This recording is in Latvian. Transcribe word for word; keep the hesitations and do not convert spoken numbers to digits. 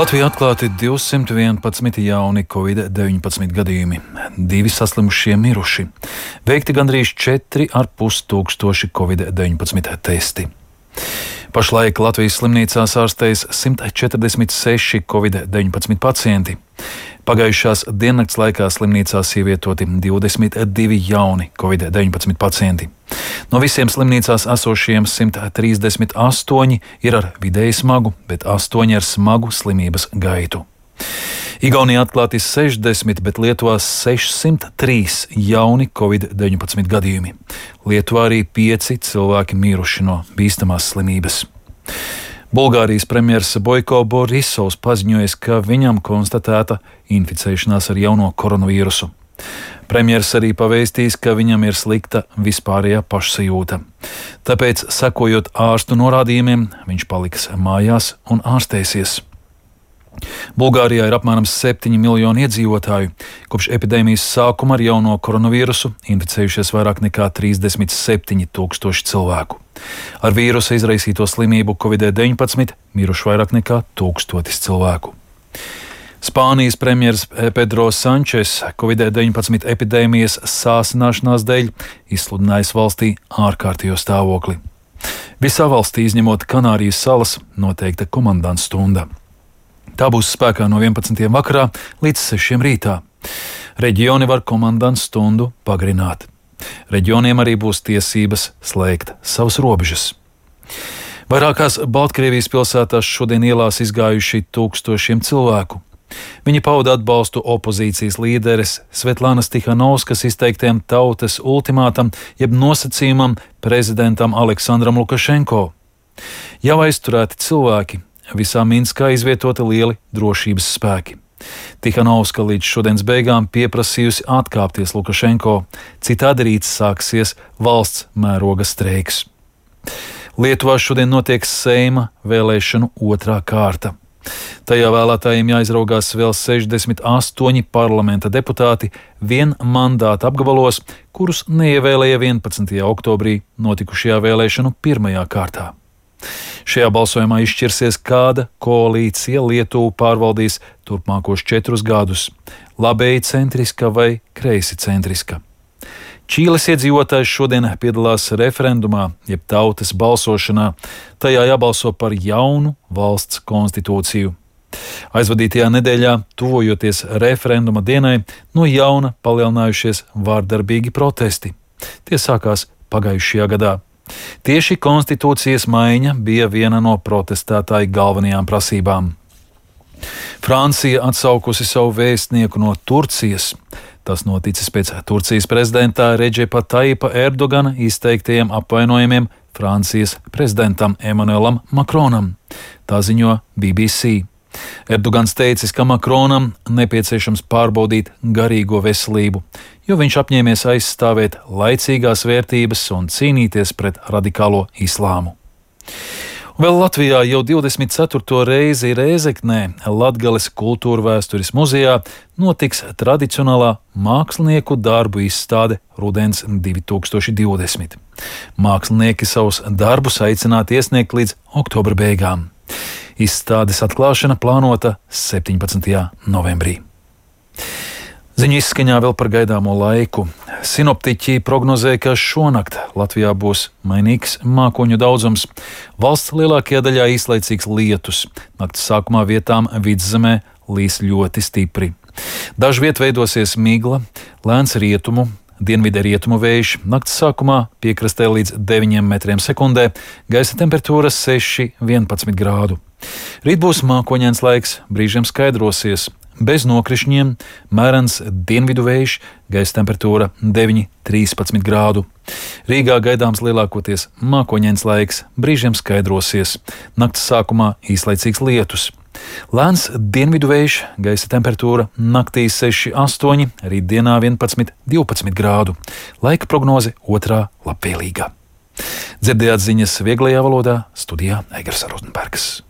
Latvijā atklāti divsimt vienpadsmit jauni covid deviņpadsmit gadījumi, divi saslimušie miruši, veikti gandrīz četri ar pus tūkstoši covid deviņpadsmit testi. Pašlaik Latvijas slimnīcās ārstējas simt četrdesmit seši covid deviņpadsmit pacienti. Pagājušās diennakts laikā slimnīcās ievietoti divdesmit divi jauni covid deviņpadsmit pacienti. No visiem slimnīcās esošiem simt trīsdesmit astoņi ir ar vidēji smagu, bet astoņi ar smagu slimības gaitu. Igaunijā atklāti sešdesmit, bet Lietuvā sešsimt trīs jauni covid deviņpadsmit gadījumi. Lietuvā arī pieci cilvēki miruši no bīstamās slimības. Bulgārijas premjers Boiko Borisovs paziņoja, ka viņam konstatēta inficēšanās ar jauno koronavīrusu. Premjers arī pavēstījis, ka viņam ir slikta vispārējā pašsajūta. Tāpēc, sekojot ārstu norādījumiem, viņš paliks mājās un ārstēsies. Bulgārijā ir apmēram septiņi miljoni iedzīvotāju. Kopš epidēmijas sākuma ar jauno koronavīrusu inficējušies vairāk nekā trīsdesmit septiņi tūkstoši cilvēku. Ar vīrusa izraisīto slimību covid deviņpadsmit miruši vairāk nekā tūkstotis cilvēku. Spānijas premjers Pedro Sančes covid deviņpadsmit epidēmijas sāsināšanās dēļ izsludinājis valstī ārkārtējo stāvokli. Visā valstī, izņemot Kanārijas salas, noteikta komandants stunda. Tā būs spēkā no vienpadsmitiem vakarā līdz sešiem rītā. Reģioni var komandants stundu pagarināt. Reģioniem arī būs tiesības slēgt savas robežas. Vairākās Baltkrievijas pilsētās šodien ielās izgājuši tūkstošiem cilvēku. Viņi pauda atbalstu opozīcijas līderes Svetlānas Tihanovskas izteiktiem tautas ultimātam, jeb nosacījumam prezidentam Aleksandram Lukašenko. Jau aizturēti cilvēki, visā Minskā izvietoti lieli drošības spēki. Tihanovska līdz šodienas beigām pieprasījusi atkāpties Lukašenko, citādi rīt sāksies valsts mēroga streiks. Lietuvā šodien notiek Seima vēlēšanu otrā kārta. Tajā vēlētājiem jāizraugās vēl sešdesmit astoņi parlamenta deputāti vien mandāta apgabalos, kurus neievēlēja vienpadsmitajā oktobrī notikušajā vēlēšanu pirmajā kārtā. Šajā balsojumā izšķirsies, kāda koalīcija Lietuvu pārvaldīs turpmākos četrus gadus - labēji centriska vai kreisi centriska. Čīles iedzīvotājs šodien piedalās referendumā, jeb tautas balsošanā. Tajā jābalso par jaunu valsts konstitūciju. Aizvadītajā nedēļā, tuvojoties referenduma dienai, no jauna palielinājušies vārdarbīgi protesti. Tie sākās pagājušajā gadā. Tieši konstitūcijas maiņa bija viena no protestētāju galvenajām prasībām. Francija atsaukusi savu vēstnieku no Turcijas. Tas noticis pēc Turcijas prezidenta Redžepa Taipa Erdogana izteiktajiem apvainojumiem Francijas prezidentam Emanuelam Makronam. Tā ziņo B B C. Erdogans teicis, ka Makronam nepieciešams pārbaudīt garīgo veselību, jo viņš apņēmies aizstāvēt laicīgās vērtības un cīnīties pret radikālo islāmu. Vēl Latvijā jau divdesmit ceturto reizi Rēzeknē Latgales kultūra vēstures muzejā notiks tradicionālā mākslinieku darbu izstāde Rudens divi tūkstoši divdesmit. Mākslinieki savus darbus aicināti iesniegt līdz oktobra beigām. Izstādes atklāšana plānota septiņpadsmitajā novembrī. Ziņu izskaņā vēl par gaidāmo laiku. Sinoptiķi prognozē, ka šonakt Latvijā būs mainīgs mākoņu daudzums. Valsts lielākajā daļā īslaicīgs lietus. Nakts sākumā vietām vidzemē līs ļoti stipri. Dažviet veidosies migla, lēns rietumu, dienvidē rietumu vējš. Nakts sākumā piekrastē līdz deviņiem metriem sekundē, gaisa temperatūra seši vienpadsmit grādu. Rīt būs mākoņains laiks, brīžiem skaidrosies. Bez nokrišņiem, mērens dienvidu vējš, gaisa temperatūra deviņi trīspadsmit grādu. Rīgā gaidāms lielākoties mākoņains laiks, brīžiem skaidrosies. Nakts sākumā īslaicīgs lietus. Lēns dienvidu vējš, gaisa temperatūra naktī seši astoņi, rītdienā vienpadsmit divpadsmit grādu. Laika prognoze otrā labvēlīgā. Dzirdējāt ziņas vieglajā valodā, studijā Eigars Rozenbergs.